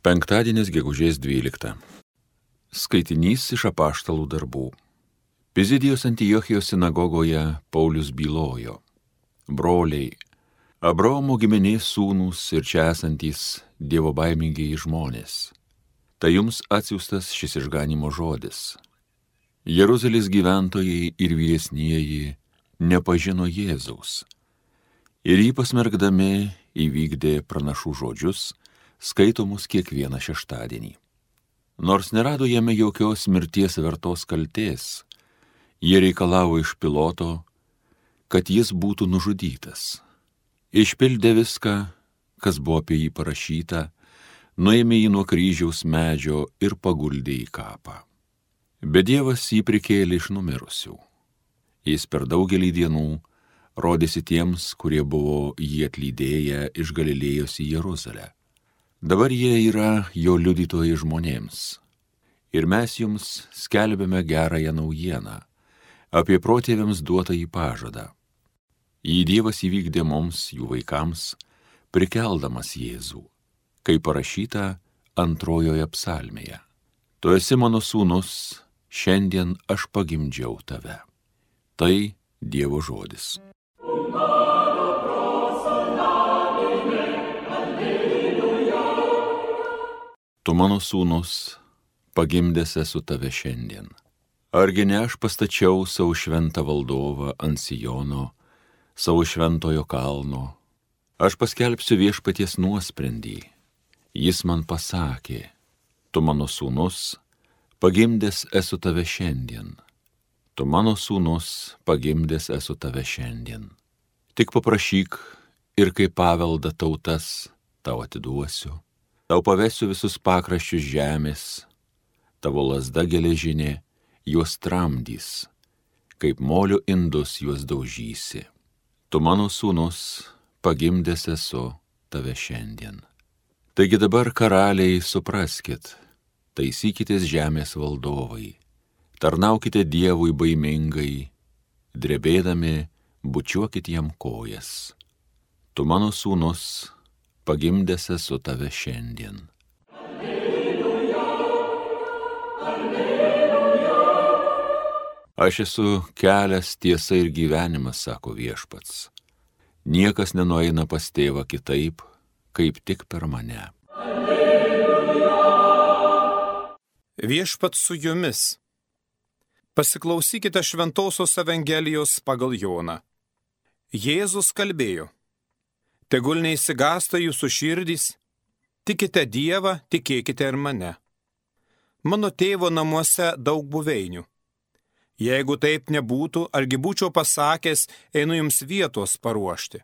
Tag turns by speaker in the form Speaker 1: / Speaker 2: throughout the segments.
Speaker 1: Penktadienis gegužės 12. Skaitinys iš apaštalų darbų. Pizidijos Antiochijos sinagogoje Paulius bylojo: Broliai, Abraomo giminės sūnūs ir čia esantys dievobaimingieji žmonės, tai jums atsiųstas šis išganimo žodis. Jeruzalės gyventojai ir vyresnieji nepažino Jėzaus ir jį pasmerkdami įvykdė pranašų žodžius, skaitomus kiekvieną šeštadienį. Nors nerado jame jokios mirties vertos kaltės, jie reikalavo iš Piloto, kad jis būtų nužudytas. Išpildė viską, kas buvo apie jį parašyta, nuėmė jį nuo kryžiaus medžio ir paguldė į kapą. Bet Dievas jį prikėlė iš numirusių. Jis per daugelį dienų rodėsi tiems, kurie buvo jį atlydėję iš Galilėjos į Jeruzalę. Dabar jie yra jo liudytojai žmonėms. Ir mes jums skelbėme gerąją naujieną apie protėviams duotąjį pažadą. Jį Dievas įvykdė mums, jų vaikams, prikeldamas Jėzų, kaip parašyta antrojoje psalmėje. Tu esi mano sūnus, šiandien aš pagimdžiau tave. Tai Dievo žodis. Tu mano sūnus, pagimdęs esu tave šiandien. Argi ne aš pastačiau savo šventą valdovą ant Sijono, savo šventojo kalno. Aš paskelbsiu viešpaties nuosprendį. Jis man pasakė: tu mano sūnus, pagimdęs esu tave šiandien. Tu mano sūnus, pagimdęs esu tave šiandien. Tik paprašyk ir kaip paveldą tautas tau atiduosiu. Tau pavesiu visus pakraščius žemės, tavo lazda geležinė juos tramdys, kaip molio indus juos daužysi. Tu mano sūnus, pagimdęs esu tave šiandien. Taigi dabar, karaliai, supraskit, taisykitės žemės valdovai, tarnaukite Dievui baimingai, drebėdami bučiuokit jam kojas. Tu mano sūnus, pagimdęs esu tave šiandien. Alleluja, alleluja. Aš esu kelias, tiesa ir gyvenimas, sako viešpats. Niekas nenueina pas tėvą kitaip, kaip tik per mane. Alleluja.
Speaker 2: Viešpats su jumis. Pasiklausykite Šventosios Evangelijos pagal Joną. Jėzus kalbėjo: tegul neišsigąsta jūsų širdys, tikite Dievą, tikėkite ir mane. Mano tėvo namuose daug buveinių. Jeigu taip nebūtų, argi būčiau pasakęs, einu jums vietos paruošti.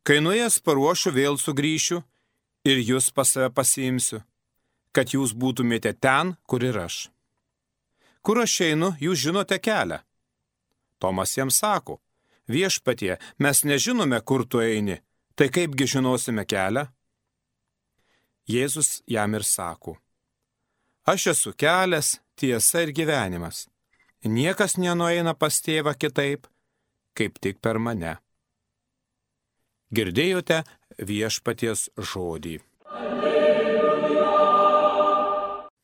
Speaker 2: Kai nuėjęs paruošiu, vėl sugrįšiu ir jūs pas save pasiimsiu, kad jūs būtumėte ten, kur ir aš. Kur aš einu, jūs žinote kelią. Tomas jam sako: viešpatie, mes nežinome, kur tu eini, tai kaipgi žinosime kelią? Jėzus jam ir sako: aš esu kelias, tiesa ir gyvenimas. Niekas nenueina pas tėvą kitaip, kaip tik per mane. Girdėjote viešpaties žodį. Alleluja.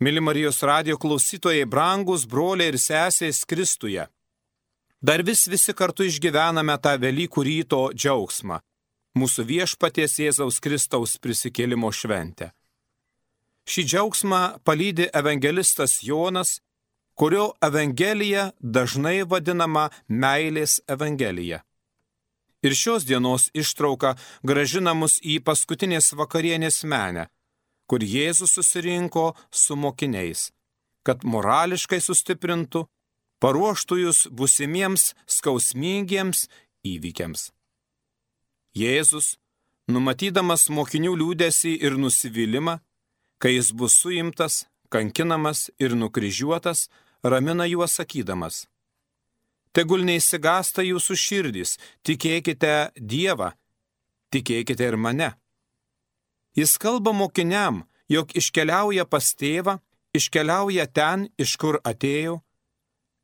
Speaker 2: Mili Marijos radijo klausytojai, brangūs broliai ir sesės Kristuje. Dar visi kartu išgyvename tą Velykų ryto džiaugsmą, mūsų viešpaties Jėzaus Kristaus prisikėlimo šventę. Šį džiaugsmą palydi evangelistas Jonas, kurio evangelija dažnai vadinama meilės evangelija. Ir šios dienos ištrauka grąžina mus į paskutinės vakarienės menę, kur Jėzus susirinko su mokiniais, kad morališkai sustiprintų, paruoštų jūs būsimiems skausmingiems įvykiams. Jėzus, numatydamas mokinių liūdesį ir nusivylimą, kai jis bus suimtas, kankinamas ir nukryžiuotas, ramina juos sakydamas: tegul neišsigąsta jūsų širdys, tikėkite Dievą, tikėkite ir mane. Jis kalba mokiniam, jog iškeliauja pas tėvą, iškeliauja ten, iš kur atėjo,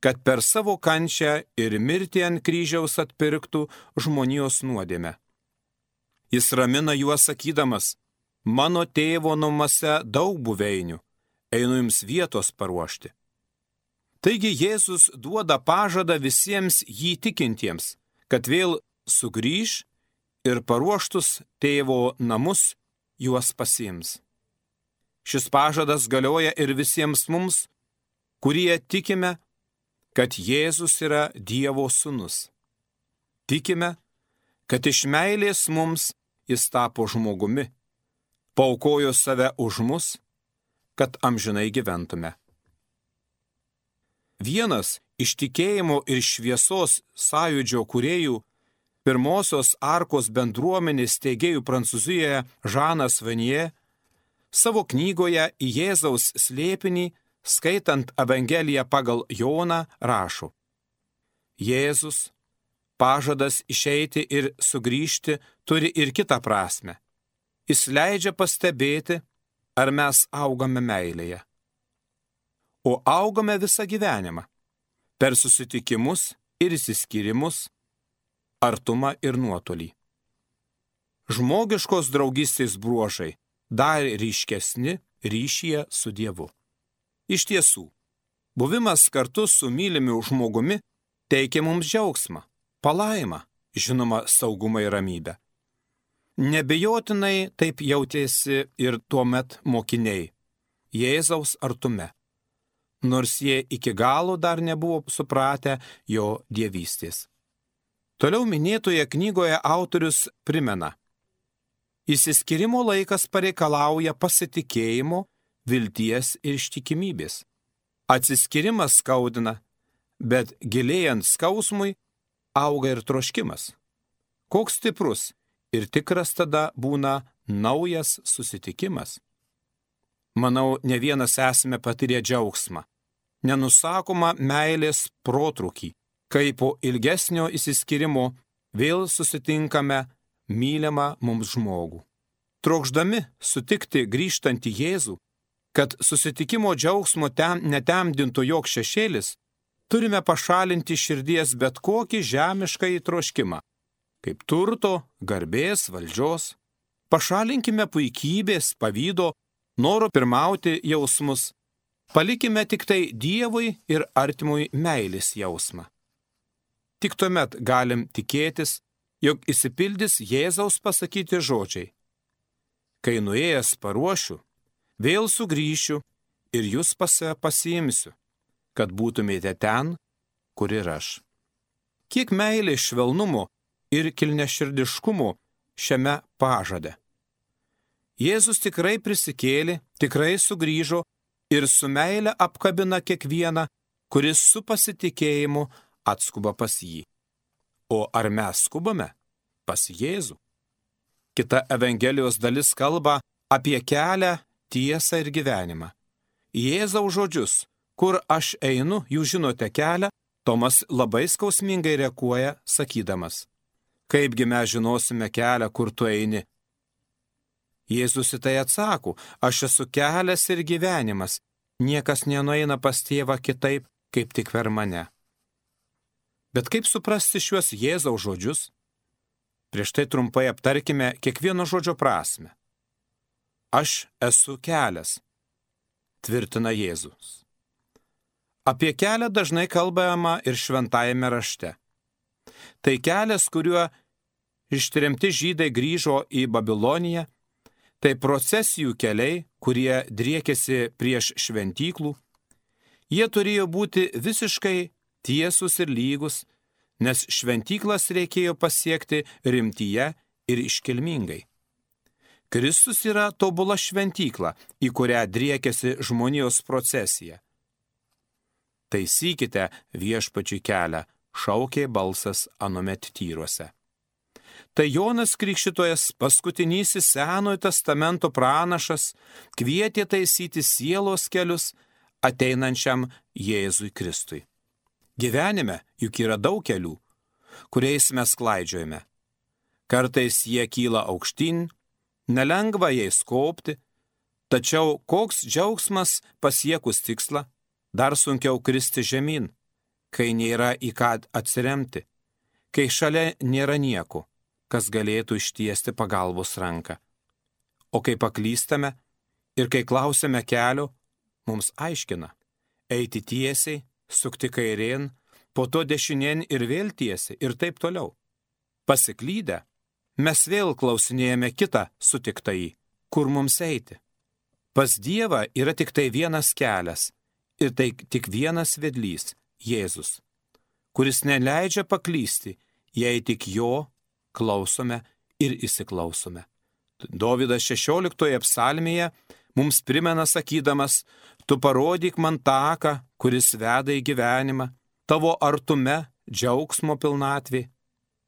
Speaker 2: kad per savo kančią ir mirtį ant kryžiaus atpirktų žmonijos nuodėmę. Jis ramina juos sakydamas: mano tėvo namuose daug buveinių, einu jums vietos paruošti. Taigi Jėzus duoda pažadą visiems jį tikintiems, kad vėl sugrįš ir paruoštus tėvo namus juos pasiims. Šis pažadas galioja ir visiems mums, kurie tikime, kad Jėzus yra Dievo sūnus. Tikime, kad iš meilės mums jis tapo žmogumi, paaukojo save už mus, kad amžinai gyventume. Vienas iš tikėjimo ir šviesos sąjūdžio kūrėjų, pirmosios arkos bendruomenės steigėjų Prancūzijoje Žanas Vanier, savo knygoje Į Jėzaus slėpinį, skaitant Evangeliją pagal Joną, rašo: Jėzus, pažadas išeiti ir sugrįžti turi ir kitą prasmę. Jis leidžia pastebėti, ar mes augame meilėje. O augame visą gyvenimą, per susitikimus ir išsiskyrimus, artumą ir nuotolį. Žmogiškos draugystės bruožai dar ryškesni ryšyje su Dievu. Iš tiesų, buvimas kartu su mylimu žmogumi teikia mums džiaugsmą, palaimą, žinoma, saugumą ir ramybę. Nebejotinai taip jautėsi ir tuomet mokiniai Jėzaus artume, nors jie iki galo dar nebuvo supratę jo dievystės. Toliau minėtoje knygoje autorius primena: išsiskyrimo laikas pareikalauja pasitikėjimo, vilties ir ištikimybės. Atsiskyrimas skaudina, bet gilėjant skausmui auga ir troškimas. Koks stiprus ir tikras tada būna naujas susitikimas. Manau, ne vienas esame patyrę džiaugsmą, nenusakomą meilės protrūkį, kai po ilgesnio išsiskyrimo vėl susitinkame mylimą mums žmogų. Trokšdami sutikti grįžtantį Jėzų, kad susitikimo džiaugsmo netemdintų joks šešėlis, turime pašalinti širdies bet kokį žemišką troškimą, kaip turto, garbės, valdžios. Pašalinkime puikybės, pavydo, noro pirmauti jausmus. Palikime tik tai Dievui ir artimui meilės jausmą. Tik tuomet galim tikėtis, jog išsipildys Jėzaus pasakyti žodžiai: kai nuėjęs paruošiu, vėl sugrįšiu ir jūs pas save pasiimsiu, kad būtumėte ten, kur ir aš. Kiek meilės, švelnumo ir kilniaširdiškumo šiame pažade. Jėzus tikrai prisikėlė, tikrai sugrįžo ir su meile apkabina kiekvieną, kuris su pasitikėjimu atskuba pas jį. O ar mes skubame pas Jėzų? Kita Evangelijos dalis kalba apie kelią, tiesą ir gyvenimą. Jėzaus žodžius: kur aš einu, jūs žinote kelią, Tomas labai skausmingai reaguoja, sakydamas: kaipgi mes žinosime kelią, kur tu eini? Jėzus į tai atsako: aš esu kelias ir gyvenimas, niekas nenueina pas tėvą kitaip, kaip tik per mane. Bet kaip suprasti šiuos Jėzaus žodžius? Prieš tai trumpai aptarkime kiekvieno žodžio prasme. Aš esu kelias, tvirtina Jėzus. Apie kelią dažnai kalbama ir šventajame rašte. Tai kelias, kuriuo ištremti žydai grįžo į Babiloniją, tai procesijų keliai, kurie driekėsi prieš šventyklų. Jie turėjo būti visiškai tiesus ir lygus, nes šventyklas reikėjo pasiekti rimtyje ir iškilmingai. Kristus yra tobula šventykla, į kurią driekėsi žmonijos procesija. Taisykite viešpačiui kelią, šaukė balsas anuomet tyruose. Tai Jonas Krikštytojas, paskutinysis Senojo testamento pranašas, kvietė taisyti sielos kelius ateinančiam Jėzui Kristui. Gyvenime juk yra daug kelių, kuriais mes klaidžiojame. Kartais jie kyla aukštyn, nelengva jais kopti, tačiau koks džiaugsmas pasiekus tikslą, dar sunkiau kristi žemyn, kai nėra į ką atsiremti, kai šalia nėra nieko, kas galėtų ištiesti pagalbos ranką. O kai paklystame ir kai klausime kelio, mums aiškina – eiti tiesiai, sukti kairėn, po to dešinėn ir vėl tiesiai ir taip toliau. Pasiklydę, mes vėl klausinėjame kitą sutiktąjį, kur mums eiti. Pas Dievą yra tik tai vienas kelias ir tai tik vienas vedlys – Jėzus, kuris neleidžia paklysti, jei tik jo klausome ir įsiklausome. Dovydas 16 psalmėje mums primena sakydamas, tu parodyk man taką, kuris veda į gyvenimą, tavo artume džiaugsmo pilnatvė.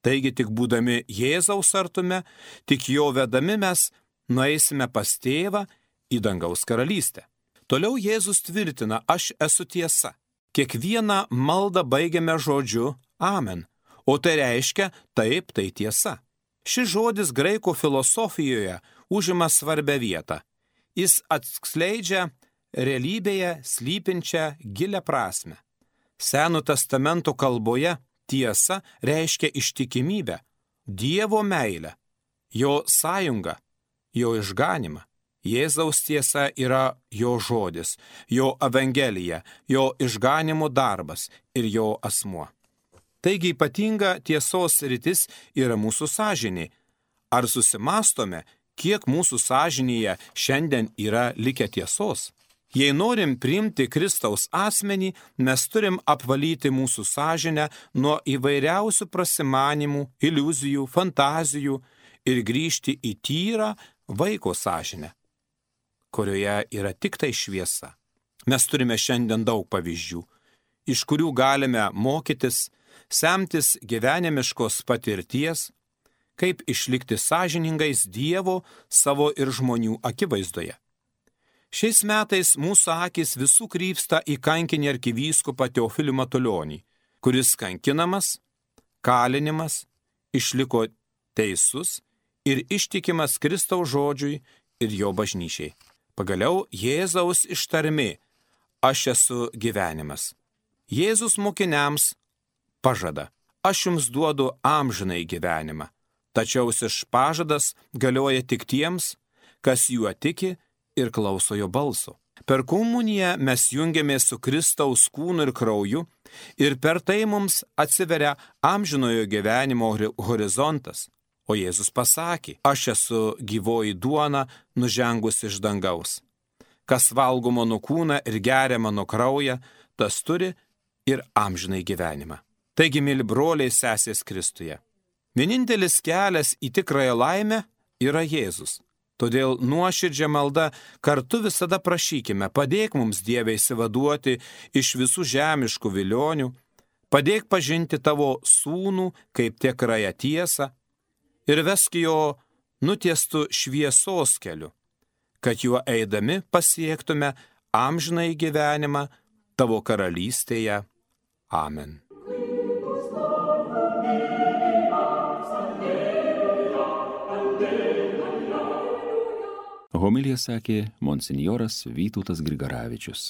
Speaker 2: Taigi tik būdami Jėzaus artume, tik jo vedami mes nueisime pas tėvą į dangaus karalystę. Toliau Jėzus tvirtina, aš esu tiesa. Kiekvieną maldą baigiame žodžiu amen, o tai reiškia taip, tai tiesa. Šis žodis graikų filosofijoje užima svarbią vietą. Jis atskleidžia realybėje slypinčią gilią prasme. Seno testamento kalboje tiesa reiškia ištikimybę, Dievo meilę, jo sąjungą, jo išganimą. Jėzaus tiesa yra jo žodis, jo evangelija, jo išganimo darbas ir jo asmuo. Taigi ypatinga tiesos sritis yra mūsų sąžinė. Ar susimastome, kiek mūsų sąžinėje šiandien yra likę tiesos? Jei norim priimti Kristaus asmenį, mes turim apvalyti mūsų sąžinę nuo įvairiausių prasimanimų, iliuzijų, fantazijų ir grįžti į tyrą vaiko sąžinę, kurioje yra tik tai šviesa. Mes turime šiandien daug pavyzdžių, iš kurių galime mokytis, semtis gyvenimiškos patirties, kaip išlikti sąžiningais Dievo, savo ir žmonių akivaizdoje. Šiais metais mūsų akys visų krypsta į kankinį arkivyskupą Teofilį Matulionį, kuris kankinamas, kalinimas, išliko teisus ir ištikimas Kristaus žodžiui ir jo bažnyčiai. Pagaliau Jėzaus ištarmė – aš esu gyvenimas. Jėzus mokiniams pažada – aš jums duodu amžinai gyvenimą, tačiau šis pažadas galioja tik tiems, kas juo tiki ir klauso jo balso. Per komuniją mes jungiamės su Kristaus kūnu ir krauju ir per tai mums atsiveria amžinojo gyvenimo horizontas. O Jėzus pasakė, aš esu gyvoji duona nužengus iš dangaus. Kas valgo mano kūną ir geria mano kraują, tas turi ir amžinai gyvenimą. Taigi, myli broliai sesės Kristuje, vienintelis kelias į tikrąją laimę yra Jėzus. Todėl nuoširdžia malda kartu visada prašykime, padėk mums Dieve išsivaduoti iš visų žemiškų vilionių, padėk pažinti tavo sūnų kaip tikrąją tiesą, ir vesk jo nutiestų šviesos keliu, kad juo eidami pasiektume amžinąjį gyvenimą tavo karalystėje. Amen.
Speaker 1: Homiliją sakė monsinjoras Vytautas Grigaravičius.